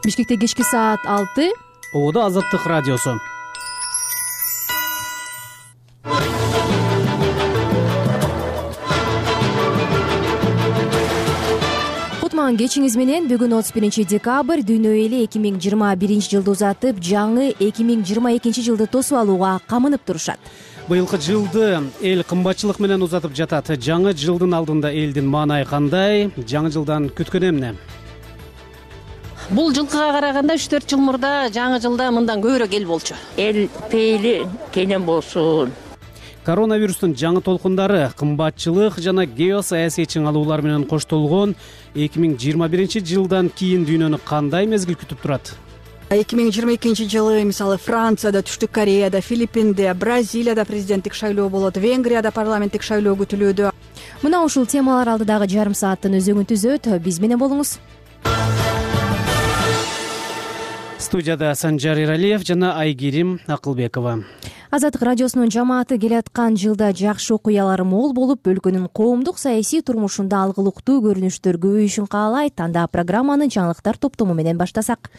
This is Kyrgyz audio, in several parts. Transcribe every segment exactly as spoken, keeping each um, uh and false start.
Бишкекте кечки саат алты. Ободо Азаттык радиосу. Кутман кечиңиз менен. Бүгүн отуз биринчи декабрь, дүйнө эли эки миң жыйырма биринчи жылды узатып, жаңы эки миң жыйырма экинчи жылды тосуп алууга камынып турушат. Быйылкы жылды эл кымбатчылык менен узатып жатат. Жаңы жылдын алдында элдин маанайы кандай? Жаңы жылдан күткөн эмне? Бул жылкыга караганда үч төрт жыл мурда жаңы жылда мындан көбүрөөк эл болчу. Эл пейили кенен болсун. Коронавирустун жаңы толкундары, кымбатчылык жана геосаясий чыңалуулар менен коштолгон эки миң жыйырма биринчи жылдан кийин дүйнөнү кандай мезгил күтүп турат? эки миң жыйырма экинчи жылы мисалы Францияда, Түштүк Кореяда, Филиппинде, Бразилияда президенттик шайлоо болот, Венгрияда парламенттик шайлоо күтүлүүдө. Мына ушул темалар алдыдагы жарым сааттын өзөгүн түзөт. Биз менен болуңуз. Студияда Санжар Иралиев жана Айгерим Акылбекова. Азаттык радиосунун жамааты келаткан жылда жакшы окуялар мол болуп, өлкөнүн коомдук саясий турмушунда алгылыктуу көрүнүштөр көбөйүшүн каалайт. Анда программаны жаңылыктар топтому менен баштасак.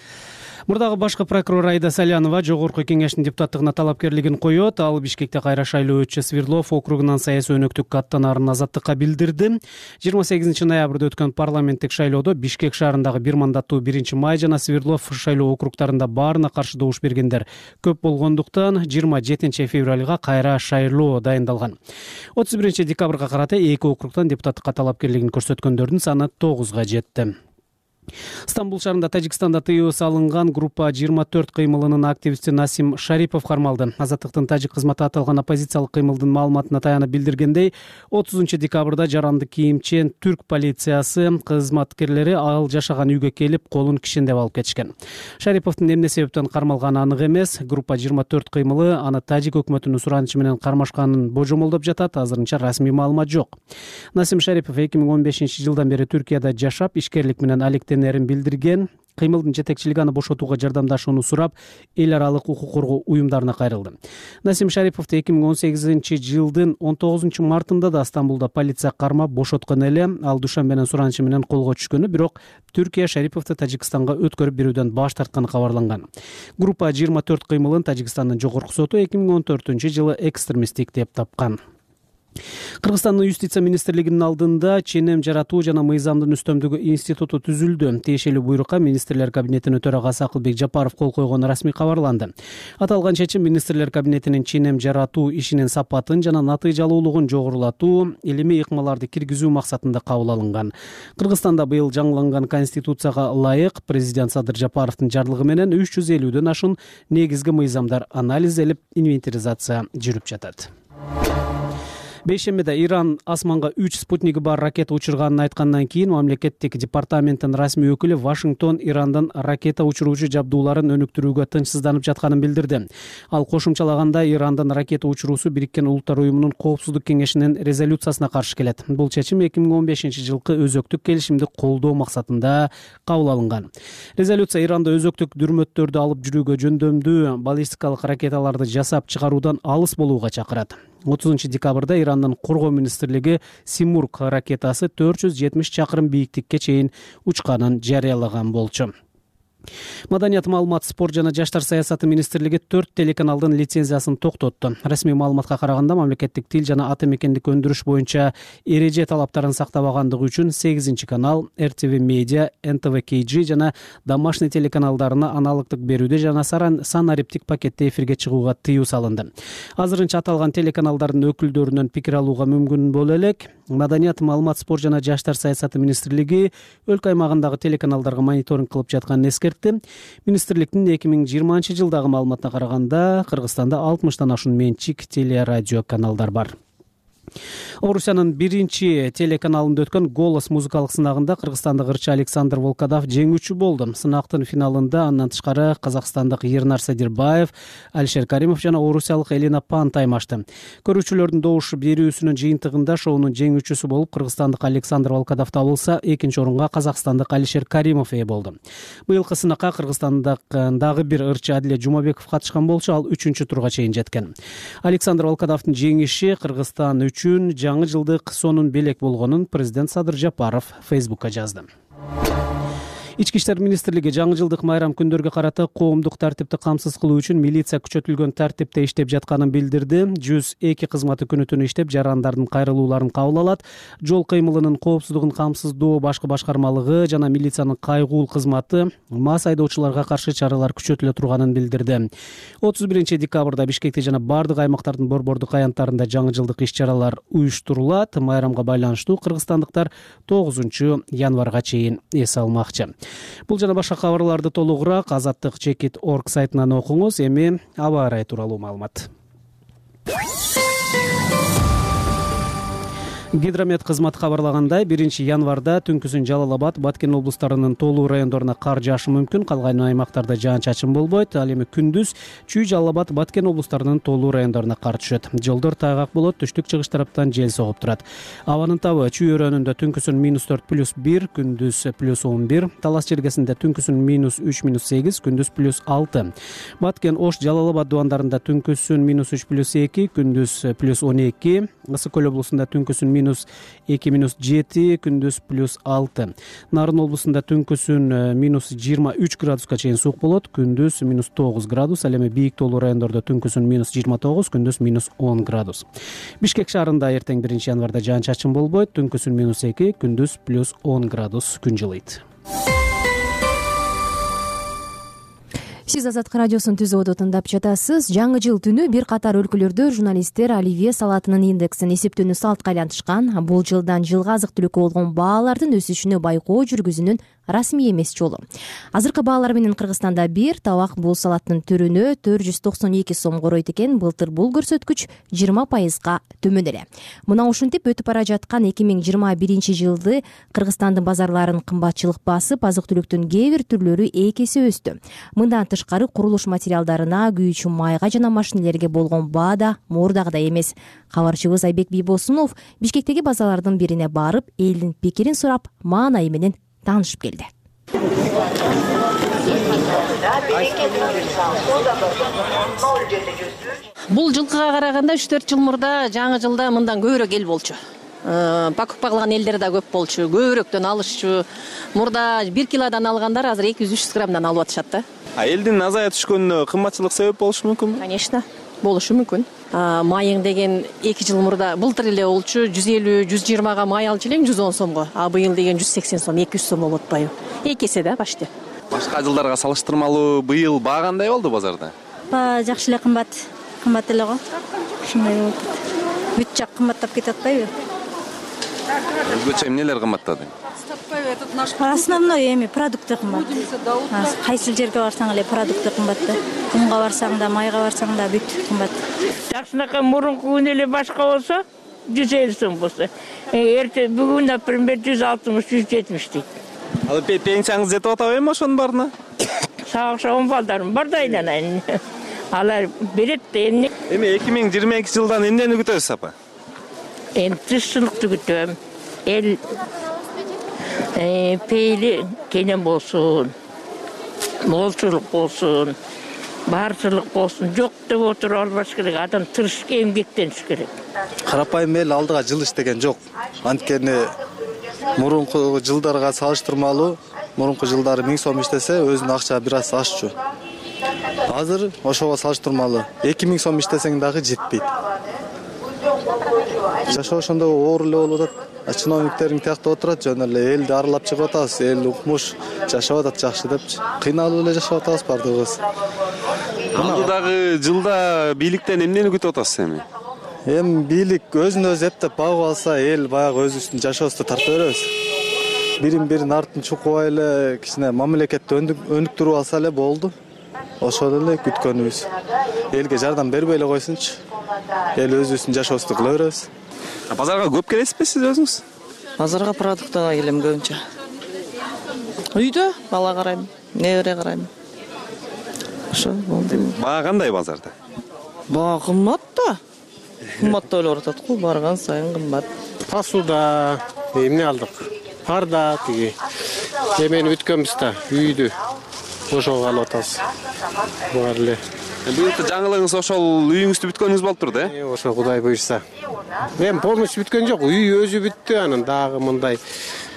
Мурдагы башкы прокурор Айда Салянова жогорку кеңештин депутаттыгына талапкерлигин коет. Ал Бишкекте кайра шайлоо өтчү Свердлов округунан саясий өнөктүккө аттанаарын Азаттыкка билдирди. жыйырма сегизинчи ноябрда өткөн парламенттик шайлоодо Бишкек шаарындагы бир мандаттуу биринчи май жана Свердлов шайлоо округтарында баарына каршы добуш бергендер көп болгондуктан жыйырма жетинчи февралга кайра шайлоо дайындалган. отуз биринчи декабрга карата эки округтан депутаттыкка талапкерлигин көрсөткөндөрдүн саны тогузга жетти. Стамбул шаарында Тажикстанда тыюу салынган группа жыйырма төрт кыймылынын активисти Насим Шарипов кармалды. Азаттыктын тажик кызматы аталган оппозициялык кыймылдын маалыматына таянып билдиргендей, отузунчу декабрда жаранды кийимчен түрк полициясы кызматкерлери ал жашаган үйгө келип, колун кишендеп алып кетишкен. Шариповдун эмне себептен кармалганы анык эмес. Группа жыйырма төрт кыймылы аны тажик өкмөтүнүн суранычы менен кармашканын божомолдоп жатат. Азырынча расмий маалымат жок. Насим Шарипов эки миң он бешинчи жылдан бери Түркияда жашап, ишкерлик менен алектенерин билдирген. Кыймылдын жетекчилиги аны бошотууга жардамдашууну сурап, эл аралык укук коргоо уюмдарына кайрылды. Насим Шариповду эки миң он сегизинчи жылдын он тогузунчу мартында да Стамбулда полиция кармап бошоткон эле. Ал Душанбенин суранычы менен колго түшкөнү, бирок Түркия Шариповду Тажикстанга өткөрүп берүүдөн баш тартканы кабарланган. Группа жыйырма төрт кыймылын Тажикстандын жогорку соту эки миң он төртүнчү жылы экстремисттик деп тапкан. Кыргызстандын юстиция министрлигинин алдында ченем жаратуу жана мыйзамдын үстөмдүгү институту түзүлдү. Тиешелүү буйрукка министрлер кабинетинин төрагасы Акылбек Жапаров кол койгону расмий кабарланды. Аталган чечим министрлер кабинетинин ченем жаратуу ишинин сапатын жана натыйжалуулугун жогорулатуу, илимий ыкмаларды киргизүү максатында кабыл алынган. Кыргызстанда быйыл жаңыланган конституцияга ылайык президент Садыр Жапаровдун жарлыгы менен үч жүз элүүдөн ашуун негизги мыйзамдар анализделип, инвентаризация жүрүп жатат. Бейшембиде Иран асманга үч спутниги бар ракета учурганын айткандан кийин мамлекеттик департаменттин расмий өкүлү Вашингтон Ирандан ракета учуруучу жабдууларын өнүктүрүүгө тынчсызданып жатканын билдирди. Ал кошумчалаганда Ирандан ракета учуруусу Бириккен Улуттар уюмунун Коопсуздук кеңешинин резолюциясына каршы келет. Бул чечим эки миң он бешинчи жылкы өзөктүк келишимди колдоо максатында кабыл алынган. Резолюция Иранда өзөктүк дүрмөттөрдү алып жүрүүгө жөндөмдүү баллистикалык ракеталарды жасап чыгаруудан алыс болууга чакырат. отузунчу декабрда Ирандын коргоо министрлиги Симург ракетасы төрт жүз жетимиш чакырым бийиктикке чейин учканын жарыялаган болчу. Маданият, маалымат, спорт жана жаштар саясаты министрлиги төрт телеканалдын лицензиясын токтотту. Расмий маалыматка караганда мамлекеттик тил жана ата мекендик өндүрүш боюнча эреже талаптарын сактабагандыгы үчүн сегизинчи канал, эр тэ вэ Медиа, эн тэ вэ кей джи жана домашний телеканалдарына аналогдук берүүдө жана санариптик пакетте эфирге чыгууга тыюу салынды. Азырынча аталган телеканалдардын өкүлдөрүнөн пикир алууга мүмкүн боло элек. Маданият, маалымат, спорт жана жаштар саясаты министрлиги өлкө аймагындагы телеканалдарга мониторинг кылып жатканын эскертти. Министрликтин эки миң жыйырманчы жылдагы маалыматына караганда Кыргызстанда алтымыштан ашуун менчик телерадио каналдар бар. Орусиянын биринчи телеканалында өткөн «Голос» музыкалык сынагында кыргызстандык ырчы Александр Волкодав жеңүүчү болду. Сынактын финалында андан тышкары казакстандык Ернар Садирбаев, Алишер Каримов жана орусиялык Элина Пан таймашты. Көрүүчүлөрдүн добуш берүүсүнүн жыйынтыгында шоунун жеңүүчүсү болуп кыргызстандык Александр Волкодав табылса, экинчи орунга казакстандык Алишер Каримов ээ болду. Быйылкы сынакка Кыргызстандык дагы бир ырчы Адиле Жумабеков катышкан болчу, ал үчүнчү турга чейин жеткен. Александр Волкодовдун жеңиши Кыргызстан үчүн жаңы жылдык сонун белек болгонун президент Садыр Жапаров Фейсбукка жазды. Ички иштер министрлиги жаңы жылдык майрам күндөргө карата коомдук тартипти камсыз кылуу үчүн милиция күчөтүлгөн тартипте иштеп жатканын билдирди. жүз эки кызматы күнү түнү иштеп, жарандардын кайрылууларын кабыл алат. Жол кыймылынын коопсуздугун камсыздоо башкы башкармалыгы жана милициянын кайгуул кызматы мас айдоочуларга каршы чаралар күчөтүлө турганын билдирди. отуз биринчи декабрда Бишкекте жана бардык аймактардын борбордук аянттарында жаңы жылдык иш-чаралар уюштурулат. Майрамга байланыштуу кыргызстандыктар тогузунчу январга чейин эс алмакчы. Бул жана башка кабарларды толугураак азаттык чекит точка орг сайтынан окуңуз. Эми аба ырайы тууралуу маалымат. Гидромет кызматы кабарлагандай, биринчи январда түнкүсүн Жалал Абад, Баткен облустарынын толуу райондоруна кар жаашы мүмкүн, калган аймактарда жаан-чачын болбойт. Ал эми күндүз Чүй, Жалал Абад, Баткен облустарынын толуу райондоруна кар түшөт. Жолдор тайгак болот, түштүк-чыгыш тараптан жел согуп турат. Абанын табы Чүй өрөөнүндө түнкүсүн минус төрт плюс бир, күндүз плюс он бир, Талас чергесинде түнкүсүн минус үч минус сегиз, күндүз плюс алты. Баткен, Ош, Жалал Абад дубандарында түнкүсүн минус үч плюс эки, күндүз плюс он эки, Ысык Көл облусунда түнкүсүн минус эки минус жети, күндүз плюс алты. Нарын облусунда түнкүсүн минус жыйырма үч градуска чейин суук болот, күндүз минус тогуз градус. Ал эми бийик тоолуу райондордо түнкүсүн минус жыйырма тогуз, күндүз минус он градус. Бишкек шаарында эртең биринчи январда жаан-чачын болбойт, түнкүсүн минус эки, күндүз плюс он градус күн жылыйт. Сиз Азаттык радиосун түз оту тыңдап жатасыз. Жаңы жыл түнү бир катар өлкөлөрдө журналисттер оливье салатынын индексин эсептөөнү салтка айлантышкан. Бул жылдан жылга азык-түлүккө болгон баалардын өсүшүнө байкоо жүргүзүүнүн расмий эмес жолу. Азыркы баалар менен Кыргызстанда бир табак бул салаттын түрүнө төрт жүз токсон эки сом коройт экен. Былтыр бул көрсөткүч жыйырма пайызга төмөн эле. Мына ушинтип өтүп бара жаткан эки миң жыйырма биринчи жылды Кыргызстандын базарларын кымбатчылык басып, азык-түлүктүн кээ бир түрлөрү эки эсе өстү. Мындан тышкары курулуш материалдарына, күйүүчү майга жана машинелерге болгон баа да мурдагыдай эмес. Кабарчыбыз Айбек Бийбосунов Бишкектеги базарлардын бирине барып, элдин пикирин сурап, маанайы менен таанышып келди. Бул жылкыга караганда үч төрт жыл мурда жаңы жылда мындан көбүрөөк эл болчу. Покупка кылган элдер да көп болчу, көбүрөөктөн алышчу. Мурда бир килодан алгандар азыр эки жүз үч жүз граммдан алып атышат да. А элдин азая түшкөнүнө кымбатчылык себеп болушу мүмкүнбү? Конечно, болушу мүмкүн. Майың деген эки жыл мурда былтыр эле болчу, жүз элүү жүз жыйырмага май алчу элең жүз он сомго. А быйыл деген жүз сексен сом, эки жүз сом болуп атпайбы? эки эсе да почти. Башка жылдарга салыштырмалуу быйыл баа кандай болду базарда? Баа жакшы эле кымбат. Кымбат эле го. Ушундай болуп атат. Бүт жак кымбаттап кетип атпайбы? Өзгөчө эмнелер кымбаттады? Основной эми продукты кымбат. Кайсы жерге барсаң эле продукты кымбат да. Унга барсаң да, майга барсаң да бүт кымбат. Жакшынакай мурунку күн эле башка болсо жүз элүү сом болсо, эрте бүгүн например жүз алтымыш жүз жетимиш дейт. Ал пенсияңыз жетип атабы эми ошонун баарына? Сага окшогон балдарым бар да айланайын. Алар берет да эмне. Эми эки миң жыйырма экинчи жылдан эмнени күтөсүз апа? Эми тынччылыкты күтөм. Эл пейли кенен болсун, молчулук болсун, баарчылык болсун. Жок деп отуруп албаш керек. Адам тырышып эмгектениш керек. Карапайым эл алдыга жыл иштеген жок. Анткени мурунку жылдарга салыштырмалуу, мурунку жылдары миң сом иштесе, өзүнүн акча бир аз ашчу. Азыр ошого салыштырмалуу эки миң сом иштесең дагы жетпейт. Жашоо ошондо оор эле болуп атат. Чиновниктериң тияктап отурат, жөн эле элди аралап чыгып атабыз, эл укмуш жашап атат жакшы депчи. Кыйналып эле жашап атабыз бардыгыбыз. Алдыдагы жылда бийликтен эмнени күтүп атасыз эми? Эми бийлик өзүн өзү эптеп багып алса, эл баягы өзүбүздүн жашообузду тарта беребиз. Бирин бирин артын чукубай эле кичине мамлекетти өнүктүрүп алса эле болду. Ошол эле күткөнүбүз. Элге жардам бербей эле койсунчу. Эл өзүбүздүн жашообузду кыла беребиз. Базарга көп келесизби сиз өзүңүз? Базарга продуктага келем көбүнчө. Үйдө бала карайм, небере карайм. Ошо болду. Баа кандай базарда? Баа кымбат да. Кымбат ойлоп атат го, барган сайын кымбат. Посуда эмне алдык? Парда тиги. Эмени бүткөнбүз да, үйдү. Ошого алып атабыз. Бар эле. Быйылкы жаңылыгыңыз ошол үйүңүздү бүткөнүңүз болуп турду, э? Ошо Кудай буйрса. Эми полностью бүткөн жок, үй өзү бүттү, анан дагы мындай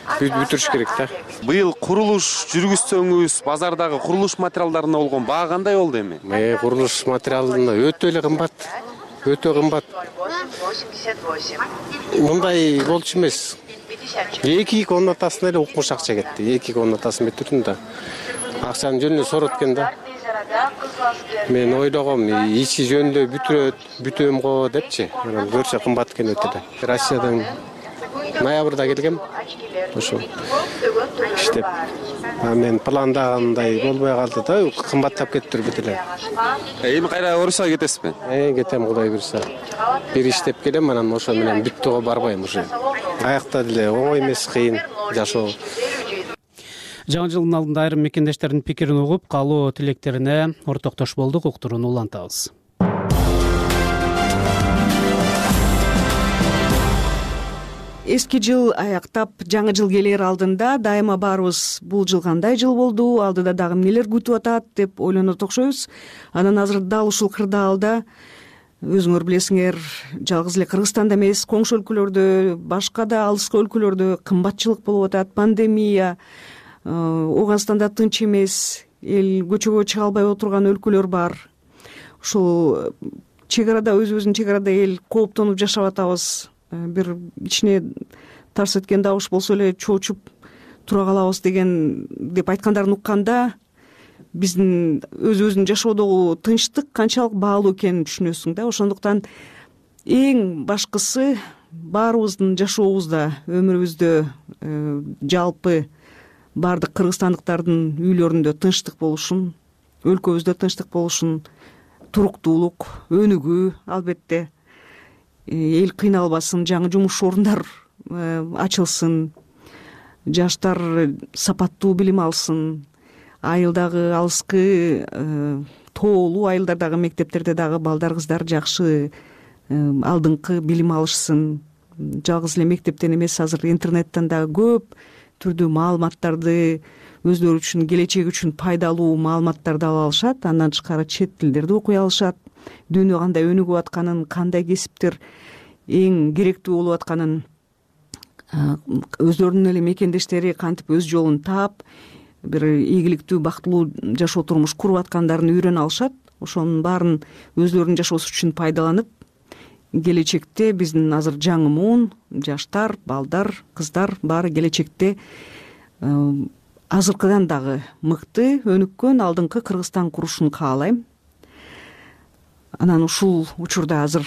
бүтүрүш керек да. Быйыл курулуш жүргүзсөңүз, базардагы курулуш материалдарына болгон баа кандай болду эми? Э, курулуш материалына өтө эле кымбат. Өтө кымбат. Мындай болчу эмес. эки комнатасына эле укмуш акча кетти. эки комнатасын бүтүрдүм да. Акчаны жөнүндө сорот экен да. Мен ойлогом, ичи жөнүндө бүтүрөт, бүтөм го депчи. Анан көрсө кымбат экен өтө эле. Россиядан ноябрда келгем. Ошо иштеп. А мен пландагандай болбой калды да, кымбаттап кетти бүт эле. Эми кайра Орусияга кетесизби? Э, кетем, Кудай буйрса. Бир иштеп келем, анан ошо менен бүттүгө барбайм уже. Аякта деле оңой эмес, кыйын жашоо. Жаңы жылдын алдында айрым мекендештердин пикирин угуп, каалоо тилектерине ортоктош болдук. Уктурууну улантабыз. Эски жыл аяктап, жаңы жыл келер алдында дайыма баарыбыз бул жыл кандай жыл болду, алдыда дагы эмнелер күтүп атат деп ойлонот окшойбуз. Анан азыр дал ушул кырдаалда өзүңөр билесиңер, жалгыз эле Кыргызстанда эмес, коңшу өлкөлөрдө, башка да алыскы өлкөлөрдө кымбатчылык болуп атат, пандемия, Ооганстанда тынч эмес, эл көчөгө чыга албай отурган өлкөлөр бар. Ушул чек арада, өзүбүздүн чек арада эл кооптонуп жашап атабыз. Бир ичине тарс эткен добуш болсо эле чоочуп тура калабыз деген деп айткандарын укканда, биздин өзүбүздүн жашоодогу тынчтык канчалык баалуу экенин түшүнөсүң да. Ошондуктан эң башкысы баарыбыздын жашообузда, өмүрүбүздө жалпы баардык кыргызстандыктардын үйлөрүндө тынчтык болушун, өлкөбүздө тынчтык болушун, туруктуулук, өнүгүү, албетте эл кыйналбасын, жаңы жумуш орундар ачылсын, жаштар сапаттуу билим алсын, айылдагы алыскы тоолуу айылдардагы мектептерде дагы балдар, кыздар жакшы алдыңкы билим алышсын. Жалгыз эле мектептен эмес, азыр интернеттен дагы көп түрдүү маалыматтарды, өзлөрү үчүн, келечеги үчүн пайдалуу маалыматтарды ала алышат. Андан тышкары чет тилдерди окуй алышат. Дүйнө кандай өнүгүп атканын, кандай кесиптер эң керектүү болуп атканын, өзлөрүнүн эле мекендештери кантип өз жолун таап, бир ийгиликтүү, бактылуу жашоо турмуш куруп аткандарын үйрөнө алышат. Ошонун баарын өзлөрүнүн жашоосу үчүн пайдаланып, келечекте биздин азыр жаңы муун, жаштар, балдар, кыздар баары келечекте азыркыдан дагы мыкты, өнүккөн, алдыңкы Кыргызстан курушун каалайм. Анан ушул учурда азыр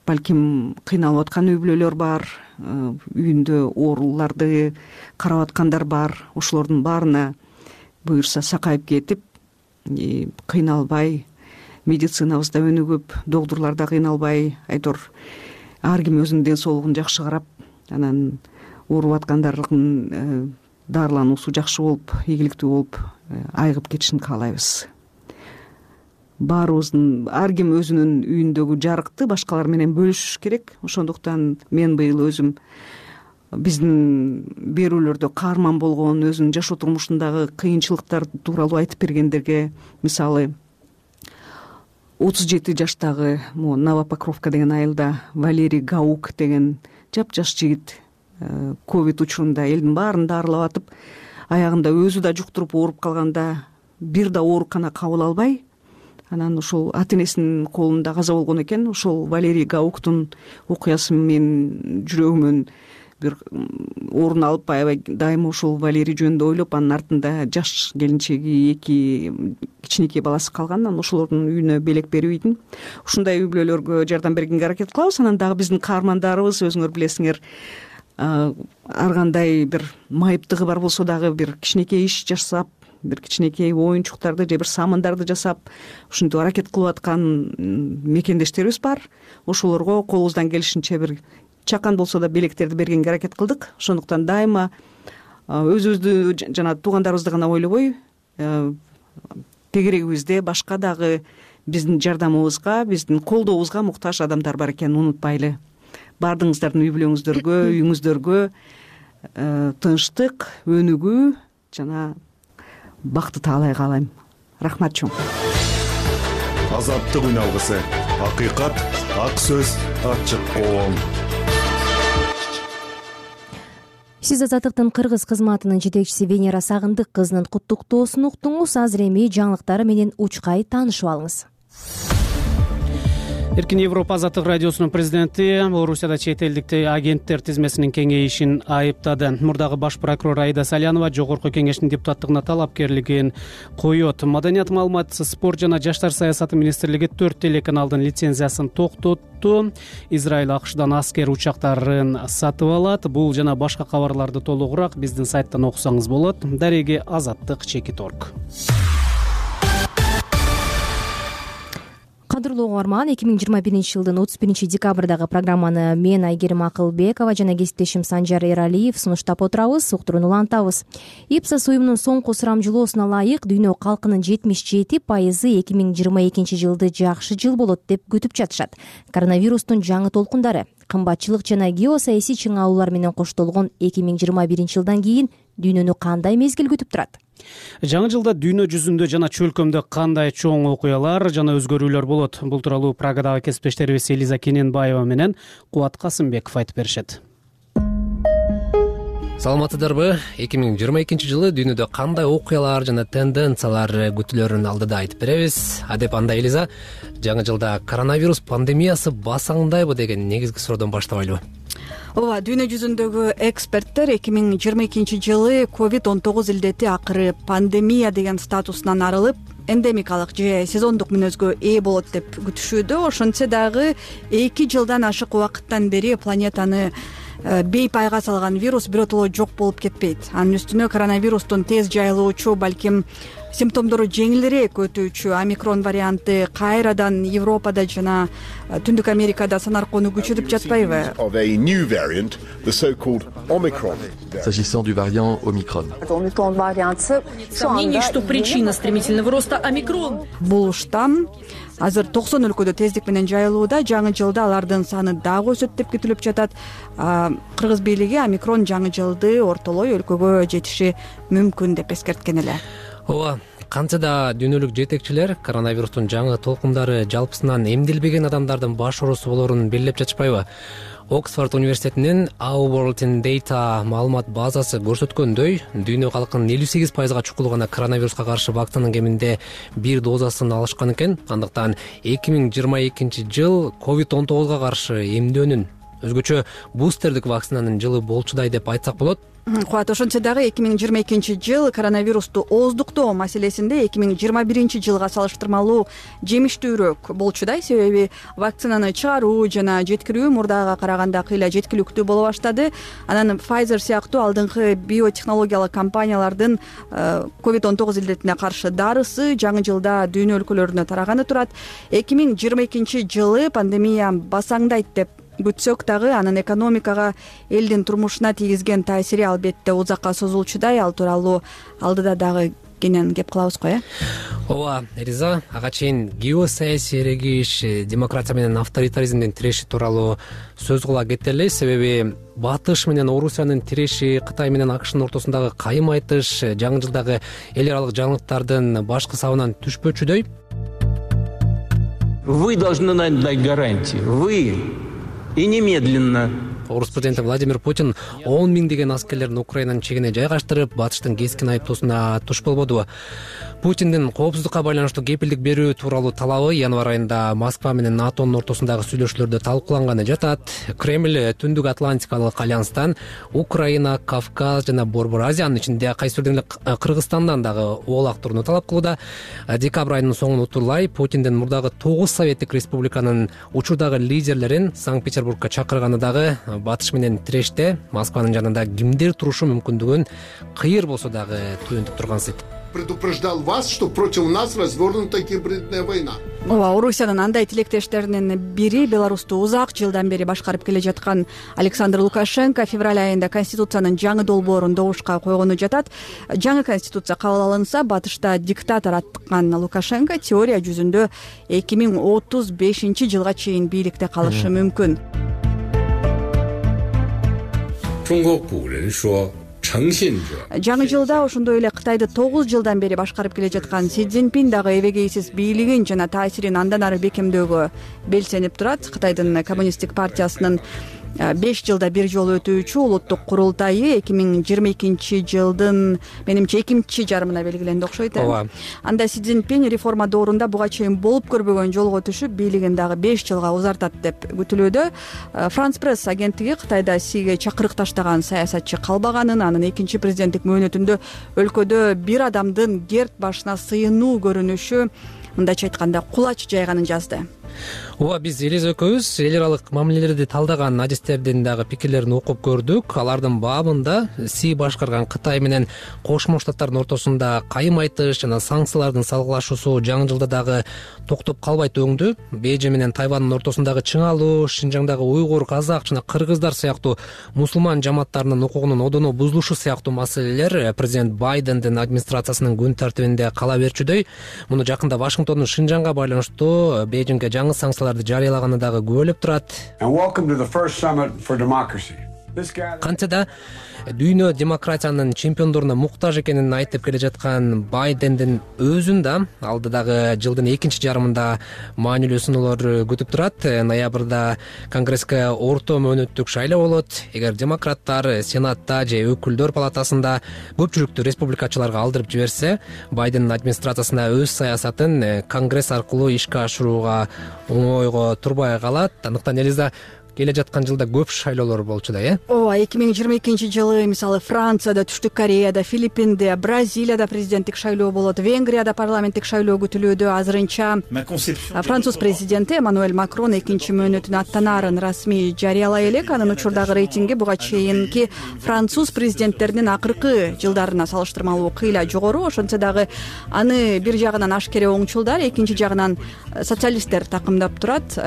балким кыйналып аткан үй бүлөлөр бар, үйүндө ооруларды карап аткандар бар. Ошолордун баарына буюрса сакайып кетип, кыйналбай, медицинабызда өнүгүп, докторлор да кыйналбай, айтор ар ким өзүнүн ден соолугун жакшы карап, анан ооруп аткандардын дарылануусу жакшы болуп, ийгиликтүү болуп айыгып кетишин каалайбыз. Баарыбыздын, ар ким өзүнүн үйүндөгү жарыкты башкалар менен бөлүшүш керек. Ошондуктан мен быйыл өзүм биздин берүүлөрдө каарман болгон, өзүнүн жашоо турмушундагы кыйынчылыктар тууралуу айтып бергендерге, мисалы отуз жети жаштагы Новопокровка деген айылда Валерий Гаук деген жапжаш жигит ковид учурунда элдин баарын дарылап атып, аягында өзү да жуктуруп ооруп калганда бир да оорукана кабыл албай, анан ошол ата энесинин колунда каза болгон экен. Ошол Валерий Гауктун окуясы менин жүрөгүмөн бир орун алып, аябай дайыма ошол Валерий жөнүндө ойлоп, анын артында жаш келинчеги, эки кичинекей баласы калган. Анан ошолордун үйүнө белек берип ийдим. Ушундай үй бүлөлөргө жардам бергенге аракет кылабыз. Анан дагы биздин каармандарыбыз, өзүңөр билесиңер, ар кандай бир майыптыгы бар болсо дагы бир кичинекей иш жасап, бир кичинекей оюнчуктарды же бир самындарды жасап, ушинтип аракет кылып аткан мекендештерибиз бар. Ошолорго колубуздан келишинче бир чакан болсо да белектерди бергенге аракет кылдык. Ошондуктан дайыма өзүбүздү жана туугандарыбызды гана ойлобой, тегерегибизде башка дагы биздин жардамыбызга, биздин колдообузга муктаж адамдар бар экенин унутпайлы. Баардыгыңыздардын үй бүлөңүздөргө, үйүңүздөргө тынчтык, өнүгүү жана бакты таалай каалайм. Рахмат чоң. Азаттык үн алгысы, акыйкат, ак сөз, ачык коом. Сиз Азаттыктын кыргыз кызматынын жетекчиси Венера Сагындык кызынын куттуктоосун уктуңуз. Азыр эми жаңылыктар менен учкай таанышып алыңыз. Эркин Европа Азаттык радиосунун президенти Орусияда чет элдик агенттер тизмесинин кеңейишин айыптады. Мурдагы баш прокурор Аида Салянова Жогорку кеңештин депутаттыгына талапкерлигин коет. Маданият, маалымат, спорт жана жаштар саясаты министрлиги төрт телеканалдын лицензиясын токтотту. Израиль АКШдан аскер учактарын сатып алат. Бул жана башка кабарларды толугураак биздин сайттан окусаңыз болот. Дареги Азаттык чекит орг. Кадырлуу угарман, эки миң жыйырма биринчи жылдын отуз биринчи декабрдагы программаны мен Айгерим Акылбекова жана кесиптешим Санжар Эралиев сунуштап отурабыз, уктурууну улантабыз. Ипсос уюмунун соңку сурамжылоосуна ылайык дүйнө калкынын жетимиш жети пайызы эки миң жыйырма экинчи жылды жакшы жыл болот деп күтүп жатышат. Коронавирустун жаңы толкундары, кымбатчылык жана геосаясий чыңалуулар менен коштолгон эки миң жыйырма биринчи жылдан кийин дүйнөнү кандай мезгил күтүп турат? Жаңы жылда дүйнө жүзүндө жана чөлкөмдө кандай чоң окуялар жана өзгөрүүлөр болот? Бул тууралуу Прагадагы кесиптештерибиз Элиза Кененбаева менен Кубат Касымбеков айтып беришет. Саламатсыздарбы? эки миң жыйырма экинчи жылы дүйнөдө кандай окуялар жана тенденциялар күтүлөрүн алдыда айтып беребиз. Адеп анда Элиза, жаңы жылда коронавирус пандемиясы басаңдайбы деген негизги суроодон баштабайлыбы? Ооба, дүйнө жүзүндөгү эксперттер эки миң жыйырма экинчи жылы ковид он тогуз илдети акыры пандемия деген статусунан арылып, эндемикалык же сезондук мүнөзгө ээ болот деп күтүшүүдө. Ошентсе дагы эки жылдан ашык убакыттан бери планетаны бейпайга салган вирус биротоло жок болуп кетпейт. Анын үстүнө коронавирустун тез жайылуучу, балким симптомдору жеңилирээк өтүүчү омикрон варианты кайрадан Европада жана Түндүк Америкада санаркоону күчөтүп жатпайбы? S'agissant du variant Omicron. Сомнений, что причина стремительного роста омикрон. Бул штамм азыр токсон өлкөдө тездик менен жайылууда. Жаңы жылда алардын саны дагы өсөт деп күтүлүп жатат. Кыргыз бийлиги омикрон жаңы жылды ортолой өлкөгө жетиши мүмкүн деп эскерткен эле. Ооба, кантсе да дүйнөлүк жетекчилер коронавирустун жаңы толкундары жалпысынан эмдилбеген адамдардын баш оорусу болоорун белгилеп жатышпайбы? Оксфорд университетинин Our World in Data маалымат базасы көрсөткөндөй, дүйнө калкынын элүү сегиз пайызга чукул гана коронавируска каршы вакцинанын кеминде бир дозасын алышкан экен. Андыктан эки миң жыйырма экинчи жыл ковид он тогузга каршы эмдөөнүн, өзгөчө бустердик вакцинанын жылы болчудай деп айтсак болот. Кубат, ошентсе дагы эки миң жыйырма экинчи жыл коронавирусту ооздуктоо маселесинде эки миң жыйырма биринчи жылга салыштырмалуу жемиштүүрөөк болчудай. Себеби вакцинаны чыгаруу жана жеткирүү мурдага караганда кыйла жеткиликтүү боло баштады. Анан Pfizer сыяктуу алдыңкы биотехнологиялык компаниялардын ковид он тогуз илдетине каршы дарысы жаңы жылда дүйнө өлкөлөрүнө тараганы турат. эки миң жыйырма экинчи жылы пандемия басаңдайт деп күтсөк дагы анын экономикага, элдин турмушуна тийгизген таасири албетте узакка созулчудай. Ал тууралуу алдыда дагы кенен кеп кылабыз го, э? Ооба, Элиза, ага чейин геосаясий эрегиш, демократия менен авторитаризмдин тиреши тууралуу сөз кыла кетели. Себеби Батыш менен Орусиянын тиреши, Кытай менен АКШнын ортосундагы кайым айтыш жаңы жылдагы эл аралык жаңылыктардын башкы сабынан түшпөчүдөй. Вы должны нам дать гарантии. Вы и немедленно. Орус президенти Владимир Путин он миңдеген аскерлерин Украинанын чегине жайгаштырып, Батыштын кескин айыптоосуна туш болбоду. Путиндин коопсуздукка байланыштуу кепилдик берүү тууралуу талабы январь айында Москва менен НАТОнун ортосундагы сүйлөшүүлөрдө талкууланганы жатат. Кремль Түндүк Атлантикалык альянстан Украина, Кавказ жана Борбор Азиянын ичинде кайсы бир Кыргызстандан дагы оолак турууну талап кылууда. Декабрь айынын соңун утурлай Путиндин мурдагы тогуз советтик республиканын учурдагы лидерлерин Санкт-Петербургка чакырганы дагы Батыш менен тиреште Москванын жанында кимдер турушу мүмкүндүгүн кыйыр болсо дагы туюнтуп тургансыйт. Предупреждал вас, что против нас развернута гибридная война. Ооба, Орусиянын андай тилектештеринин бири Беларусту узак жылдан бери башкарып келе жаткан Александр Лукашенко февраль айында Конституциянын жаңы долбоорун добушка койгону жатат. Жаңы Конституция кабыл алынса, Батышта диктатор аттыккан Лукашенко теория жүзүндө эки миң отуз бешинчи жылга чейин бийликте калышы мүмкүн. 中国古人说 жаңы жылда ошондой эле Кытайды тогуз жылдан бери башкарып келе жаткан Си Цзиньпин дагы эбегейсиз бийлигин жана таасирин андан ары бекемдөөгө белсенип турат. Кытайдын коммунисттик партиясынын беш жылда бир жолу өтүүчү улуттук курултайы эки миң жыйырма экинчи жылдын менимче экинчи жарымына белгиленди окшойт. ооба. Анда Си Цзиньпин реформа доорунда буга чейин болуп көрбөгөн жолго түшүп, бийлигин дагы беш жылга узартат деп күтүлүүдө. Франс пресс агенттиги Кытайда Сиге чакырык таштаган саясатчы калбаганын, анын экинчи президенттик мөөнөтүндө өлкөдө бир адамдын герд башына сыйынуу көрүнүшү, мындайча айтканда, кулач жайганын жазды. Ооба, биз Элиза экөөбүз эл аралык мамилелерди талдаган адистердин дагы пикирлерин окуп көрдүк. Алардын баабында Си башкарган Кытай менен Кошмо Штаттардын ортосунда кайым айтыш жана санкциялардын салгылашуусу жаңы жылда дагы токтоп калбайт өңдү. Бейжиң менен Тайвандын ортосундагы чыңалуу, Шинжаңдагы уйгур, казак жана кыргыздар сыяктуу мусулман жамааттарынын укугунун одоно бузулушу сыяктуу маселелер президент Байдендин администрациясынын күн тартибинде кала берчүдөй. Муну жакында Вашингтондун Шинжаңга байланыштуу Бейжиңге жаңы санкцияларды жарыялаганы дагы күбөлөп турат. Кантсе да дүйнө демократиянын чемпиондоруна муктаж экенин айтып келе жаткан Байдендин өзүн да алдыдагы жылдын экинчи жарымында маанилүү сыноолор күтүп турат. Ноябрда Конгресске орто мөөнөттүк шайлоо болот. Эгер демократтар Сенатта же өкүлдөр палатасында көпчүлүктү республикачыларга алдырып жиберсе, Байдендин администрациясына өз саясатын Конгресс аркылуу ишке ашырууга оңойго турбай калат. Андыктан Элиза келе жаткан жылда көп шайлоолор болчу да, э? Ооба, эки миң жыйырма экинчи жылы мисалы Францияда, Түштүк Кореяда, Филиппинде, Бразилияда президенттик шайлоо болот, Венгрияда парламенттик шайлоо күтүлүүдө. Азырынча француз президенти Эммануэль Макрон экинчи мөөнөтүнө аттанаарын расмий жарыялай элек. Анын учурдагы рейтинги буга чейинки француз президенттеринин акыркы жылдарына салыштырмалуу кыйла жогору. Ошентсе дагы аны бир жагынан ашкере оңчулдар, экинчи жагынан социалисттер такымдап турат.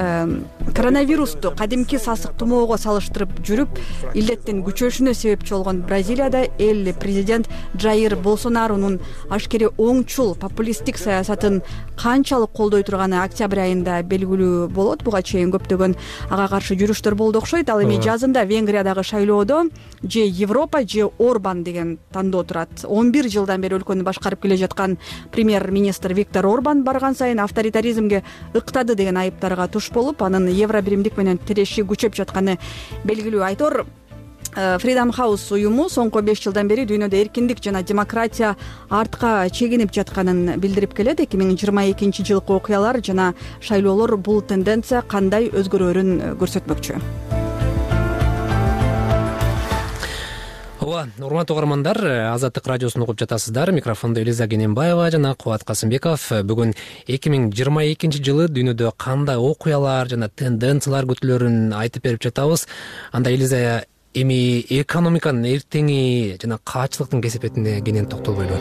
Коронавирусту кадимки сасык тумоого салыштырып жүрүп, илдеттин күчөшүнө себепчи болгон Бразилияда эл президент Джаир Болсонарунун ашкере оңчул популисттик саясатын канчалык колдой турганы октябрь айында белгилүү болот. Буга чейин көптөгөн ага каршы жүрүштөр болду окшойт. Ал эми жазында Венгриядагы шайлоодо же Европа же Орбан деген тандоо турат. он бир жылдан бери өлкөнү башкарып келе жаткан премьер-министр Виктор Орбан барган сайын авторитаризмге ыктады деген айыптарга туш болуп, анын евро биримдик менен тиреши күчөп жатканы белгилүү. Айтор Freedom House уюму соңку беш жылдан бери дүйнөдө эркиндик жана демократия артка чегинип жатканын билдирип келет. эки миң жыйырма экинчи жылкы окуялар жана шайлоолор бул тенденция кандай өзгөрөөрүн көрсөтмөкчү. Ооба, урматтуу угармандар, Азаттык радиосун угуп жатасыздар. Микрофондо Элиза Кененбаева жана Кубат Касымбеков. Бүгүн эки миң жыйырма экинчи жылы дүйнөдө кандай окуялар жана тенденциялар күтүлөрүн айтып берип жатабыз. Анда Элиза, эми экономиканын эртеңи жана каачылыктын кесепетине кенен токтолбойлу.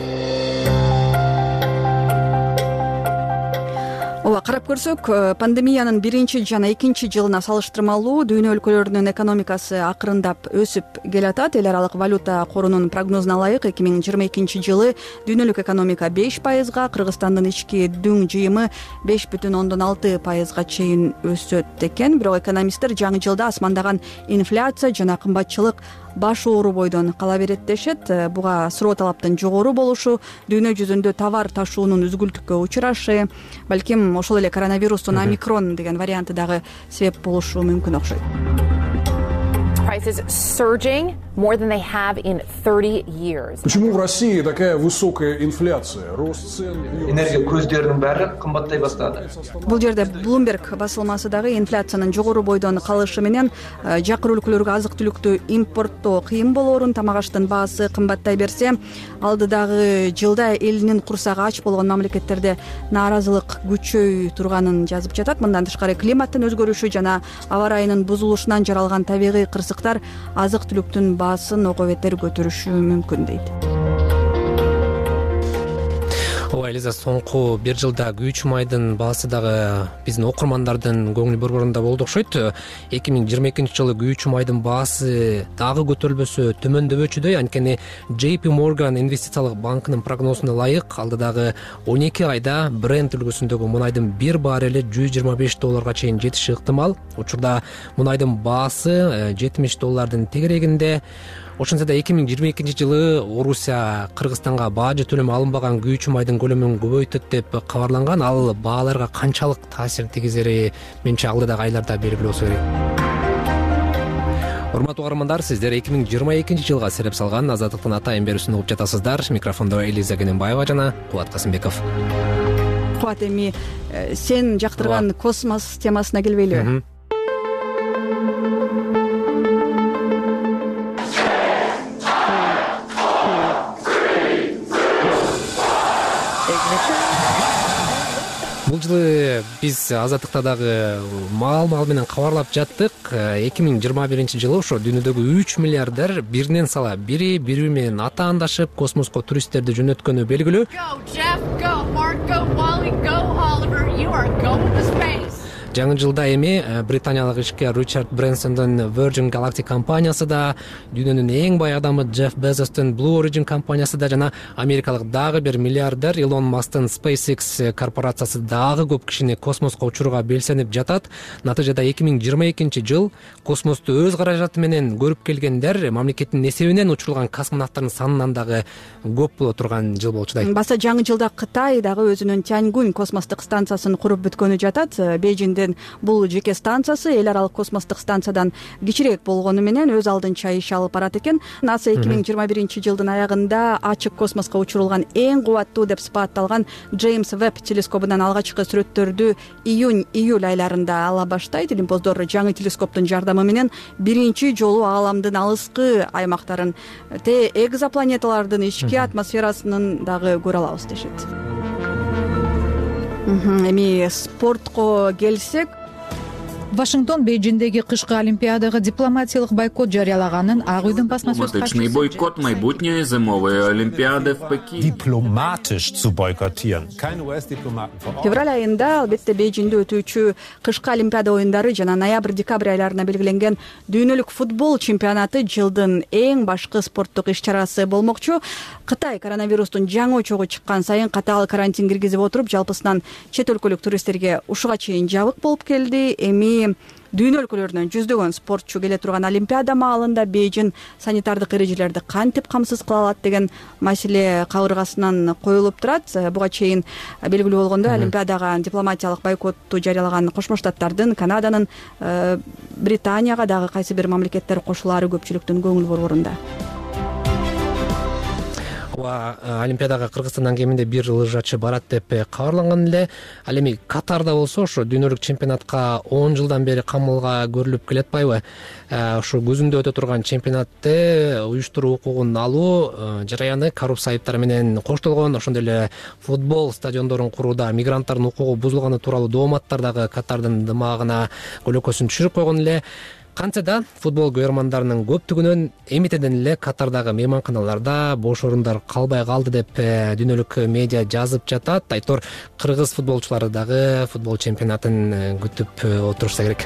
Ооба, карап көрсөк, пандемиянын биринчи жана экинчи жылына салыштырмалуу дүйнө өлкөлөрүнүн экономикасы акырындап өсүп келатат. Эл аралык валюта корунун прогнозуна ылайык эки миң жыйырма экинчи жылы дүйнөлүк экономика беш пайызга, Кыргызстандын ички дүң жыйымы беш бүтүн ондон алты пайызга чейин өсөт экен. Бирок экономисттер жаңы жылда асмандаган инфляция жана кымбатчылык баш оору бойдон кала берет дешет. Буга суроо талаптын жогору болушу, дүйнө жүзүндө товар ташуунун үзгүлтүккө учурашы, балким ошол эле коронавирустун омикрон деген варианты дагы себеп болушу мүмкүн окшойт. Почему в России такая высокая инфляция? Рост цен. Энергия көздөрүнүн баары кымбаттай баштады. Бул жерде Bloomberg басылмасы дагы инфляциянын жогору бойдон калышы менен жакыр өлкөлөргө азык-түлүктү импорттоо кыйын болоорун, тамак аштын баасы кымбаттай берсе, алдыдагы жылда элинин курсагы ач болгон мамлекеттерде нааразылык күчөй турганын жазып жатат. Мындан тышкары климаттын өзгөрүшү жана аба ырайынын бузулушунан жаралган табигый кырсыктар азык-түлүктүн баасын ого бетер көтөрүшү мүмкүн дейт. Ооба, Элиза, соңку бир жылда күйүүчү майдын баасы дагы биздин окурмандардын көңүл борборунда болду окшойт. эки миң жыйырма экинчи жылы күйүүчү майдын баасы дагы көтөрүлбөсө төмөндөбөчүдөй. Анткени Джей Пи Морган инвестициялык банкынын прогнозуна ылайык, алдыдагы он эки айда Brent үлгүсүндөгү мунайдын бир баррели жүз жыйырма беш долларга чейин жетиши ыктымал. Учурда мунайдын баасы жетимиш доллардын тегерегинде. Ошентсе да эки миң жыйырма экинчи жылы Орусия Кыргызстанга бажы төлөм алынбаган күйүүчү майдын көлөмүн көбөйтөт деп кабарланган. Ал бааларга канчалык таасир тийгизери менче алдыдагы айларда белгилүү болсо керек. урматтуу угармандар, сиздер эки миң жыйырма экинчи жылга сереп салган Азаттыктын атайын берүүсүн угуп жатасыздар. Микрофондо Элиза Кененбаева жана Кубат Касымбеков. Кубат, эми сен жактырган космос темасына келбейлиби? Бул жылы биз Азаттыкта дагы маал-маал менен кабарлап жаттык. эки миң жыйырма биринчи жылы ошо дүйнөдөгү үч миллиардер биринен сала бири бири менен атаандашып космоско туристтерди жөнөткөнү белгилүү. Жаңы жылда эми британиялык ишкер Ричард Брэнсондун Virgin Galactic компаниясы да, дүйнөнүн эң бай адамы Джефф Безостун Blue Origin компаниясы да жана америкалык дагы бир миллиардер Илон Масктын SpaceX корпорациясы дагы көп кишини космоско учурууга белсенип жатат. Натыйжада эки миң жыйырма экинчи жыл космосту өз каражаты менен көрүп келгендер, мамлекеттин эсебинен учурулган космонавттардын санынан дагы көп боло турган жыл болчудай. Баса жаңы жылда Кытай дагы өзүнүн Тяньгунь космостук станциясын куруп бүткөнү жатат. Бейжиңдин бул жеке станциясы эл аралык космостук станциядан кичирээк болгону менен өз алдынча иш алып барат экен. НАСА эки миң жыйырма биринчи жылдын аягында ачык космоско учурулган эң кубаттуу деп сыпатталган Джеймс Веб телескобунан алгачкы сүрөттөрдү июнь-июль айларында ала баштайт. Илимпоздор жаңы телескоптун жардамы менен биринчи жолу ааламдын алыскы аймактарын, те экзопланеталардын ички атмосферасынын дагы көрө алабыз дешет. Эми спортко келсек, Вашингтон Бейжиңдеги кышкы олимпиадага дипломатиялык бойкот жарыялаганын Ак үйдүн басма сөз катчысы бойкот майбутней зимовой олимпиады в Пекине. Дипломатиш zu boykottieren. Keine U S Diplomaten vor Ort. Февраль айында албетте Бейжиңде өтүүчү кышкы олимпиада оюндары жана ноябрь-декабрь айларына белгиленген дүйнөлүк футбол чемпионаты жылдын эң башкы спорттук иш-чарасы болмокчу. Кытай коронавирустун жаңы очогу чыккан сайын катаал карантин киргизип отуруп, жалпысынан чет өлкөлүк туристтерге ушуга чейин жабык болуп келди. Эми дүйнө өлкөлөрүнөн жүздөгөн спортчу келе турган олимпиада маалында Бейжиң санитардык эрежелерди кантип камсыз кыла алат деген маселе кабыргасынан коюлуп турат. Буга чейин белгилүү болгондой, олимпиадага дипломатиялык бойкотту жарыялаган Кошмо Штаттардын, Канаданын, Британияга дагы кайсы бир мамлекеттер кошулаары көпчүлүктүн көңүл борборунда. Олимпиадага Кыргызстандан кеминде бир лыжачы барат деп кабарланган эле. Ал эми Катарда болсо ошо дүйнөлүк чемпионатка он жылдан бери камылга көрүлүп келатпайбы? Ошо көзүндө өтө турган чемпионатты уюштуруу укугун алуу жараяны коррупция айыптары менен коштолгон. Ошондой эле футбол стадиондорун курууда мигранттардын укугу бузулганы тууралуу дооматтар дагы Катардын дымагына көлөкөсүн түшүрүп койгон эле. Кантсе да футбол көрөрмандарынын көптүгүнөн эмитеден эле Катардагы мейманканаларда бош орундар калбай калды деп дүйнөлүк медиа жазып жатат. Айтор кыргыз футболчулары дагы футбол чемпионатын күтүп отурушса керек.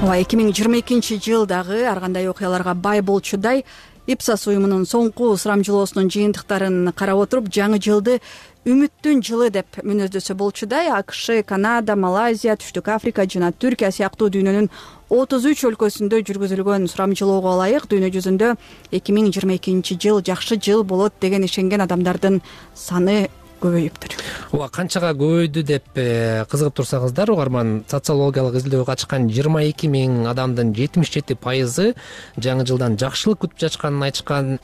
эки миң жыйырма экинчи жыл дагы ар кандай окуяларга бай болчудай. Ипсос уюмунун соңку сурамжылоосунун жыйынтыктарын карап отуруп, жаңы жылды үмүттүн жылы деп мүнөздөсө болчудай. АКШ, Канада, Малайзия, Түштүк Африка жана Түркия сыяктуу дүйнөнүн отуз үч өлкөсүндө жүргүзүлгөн сурамжылоого ылайык дүйнө жүзүндө эки миң жыйырма экинчи жыл жакшы жыл болот деген ишенген адамдардын саны көбөйүптүр. Ооба, канчага көбөйдү деп кызыгып турсаңыздар, угарман, социологиялык изилдөөгө катышкан жыйырма эки миң адамдын жетимиш жети пайызы жаңы жылдан жакшылык күтүп жатышканын айтышкан.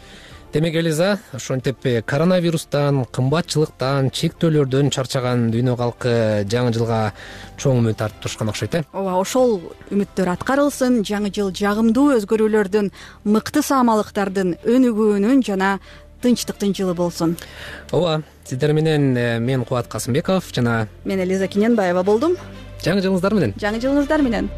Демек, Элиза, ошентип коронавирустан, кымбатчылыктан, чектөөлөрдөн чарчаган дүйнө калкы жаңы жылга чоң үмүт артып турушкан окшойт э? Ооба, ошол үмүттөр аткарылсын. Жаңы жыл жагымдуу өзгөрүүлөрдүн, мыкты саамалыктардын өнүгүүнүн жана тынчтыктын жылы болсун. Ооба, сиздер менен мен Кубат Касымбеков жана мен Элиза Кененбаева болдум. Жаңы жылыңыздар менен. Жаңы жылыңыздар менен.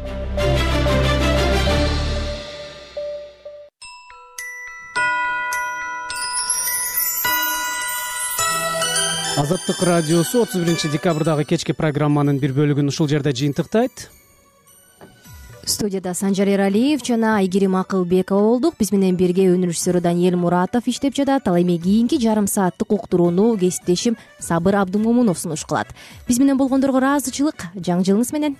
Азаттык радиосу отуз биринчи декабрдагы кечки программанын бир бөлүгүн ушул жерде жыйынтыктайт. Студияда Санжар Эралиев жана Айгерим Акылбекова болдук. Биз менен бирге өнөр режиссеру Даниэль Муратов иштеп жатат. Ал эми кийинки жарым сааттык уктурууну кесиптешим Сабыр Абдымомунов сунуш кылат. Биз менен болгондорго ыраазычылык. Жаңы жылыңыз менен.